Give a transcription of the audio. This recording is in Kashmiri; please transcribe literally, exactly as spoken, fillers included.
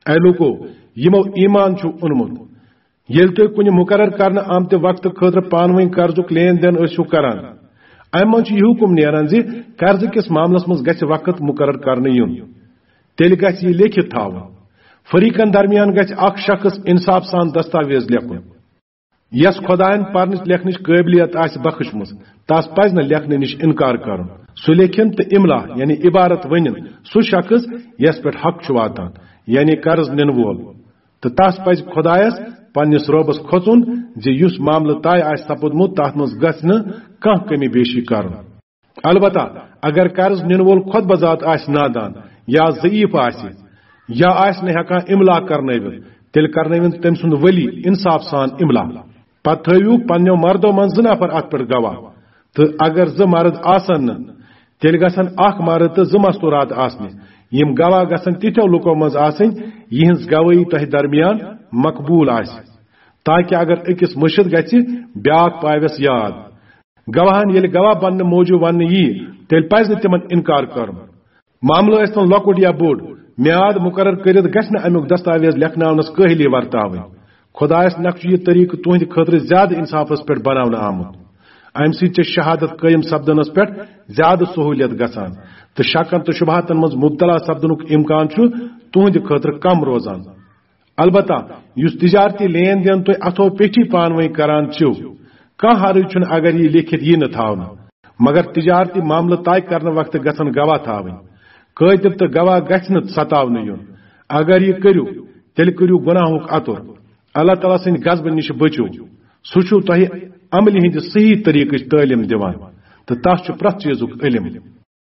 اے لوٗکو، یِمو ایمان چھُ اوٚنمُت، ییٚلہِ تُہۍ کُنہِ مُقرر کرنہٕ آمتہِ وقتہٕ خٲطرٕ پانہٕ ؤنۍ قرضُک لین دین ٲسِو کران، امہِ منٛز چھُ یہِ حُکم نیران زِ قرضہٕ کِس معاملس منٛز گژھِ وقت مُقرر کرنہٕ یُن۔ تیٚلہِ گژھِ یہِ لیکھِتھ تھاوُن۔ فریقن درمیان گژھِ اکھ شخص انصاف سان دستاویز لیکھُن۔ یس خداین پرنٕچ لیکھنٕچ قٲبلیت آسہِ بخشمٕژ، تس پزِ نہٕ لیکھنہٕ نِش انکار کرُن۔ سُہ لیکھِن تہٕ املا، یعنی عبارت ؤنِن، سُہ شخص یس پٮ۪ٹھ حق چھُ واتان، یعنی قرض نِنہٕ وول۔ تہٕ تس پزِ خدایس، پننِس رۄبس کھوژُن زِ یُس معاملہٕ طے آسہِ سپُدمُت، تتھ منٛز گژھِ نہٕ کانٛہہ کمی بیشی کرُن۔ البتہ اگر قرض نِنہٕ وول خۄد بذات آسہِ نادان یا ضعیف آسہِ یا آسہِ نہٕ ہٮ۪کان املا کرنٲوِتھ، تیٚلہِ کرنٲوِن تٔمۍ سُنٛد ولی انصاف سان املا۔ پتہٕ تھٲوِو پننیو مردو منٛز زٕ نفر اتھ پٮ۪ٹھ گواہ، تہٕ اگر زٕ مرد آسن نہٕ، تیٚلہِ گژھن اکھ مرد تہٕ زٕ مستورات آسنہِ۔ یِم گواہ گژھن تِتھیو لُکو منٛز آسٕنۍ، یِہنٛز گوٲہی تۄہہِ درمیان مقبول آسہِ، تاکہ اگر أکِس مٔشِتھ گژھِ، بیاکھ پاوٮ۪س یاد۔ گواہن ییٚلہِ گواہ بننہٕ موٗجوٗب وننہٕ ییہِ، تیٚلہِ پزِ نہٕ تِمن انکار کرُن۔ معاملہٕ ٲسۍ تن لۄکُٹ یا بوٚڑ، میعاد مُقرر کٔرِتھ گژھِ نہٕ امیُک دستاویز لیکھناونس کٲہلی ورتاوٕنۍ۔ خدایس نکھ چھُ یہِ طریقہٕ تُہنٛدِ خٲطرٕ زیادٕ انصافس پٮ۪ٹھ بناونہٕ آمُت۔ امہِ سۭتۍ چھِ شہادت قٲیِم سپدنس پٮ۪ٹھ زیادٕ سہوٗلیت گژھان، تہٕ شکن تہٕ شبہاتن منٛز مبتلا سپدنُک امکان چھُ تُہنٛدِ خٲطرٕ کم روزان۔ البتہ یُس تجارتی لین دین تُہۍ اتھو پیٹھی پانہٕ ؤنۍ کران چھِو، کانٛہہ حرج چھُنہٕ اگر یہِ لیکھِتھ یی نہٕ تھاونہٕ، مگر تجارتی معاملہٕ طے کرنہٕ وقتہٕ گژھن گواہ تھاوٕنۍ۔ کٲتِب تہٕ گواہ گژھِ نہٕ ستاونہٕ یُن۔ اگر یہِ کٔرِو، تیٚلہِ کٔرِو گۄناہُک عطُر۔ اللہ تعالیٰ سٕنٛدِ غضبہٕ نِش بٔچِو۔ سُہ چھُ تۄہہِ عملہِ ہٕنٛدِ صحیح طریقٕچ تعلیٖم دِوان، تہٕ تس چھُ پرٛٮ۪تھ چیٖزُک علم۔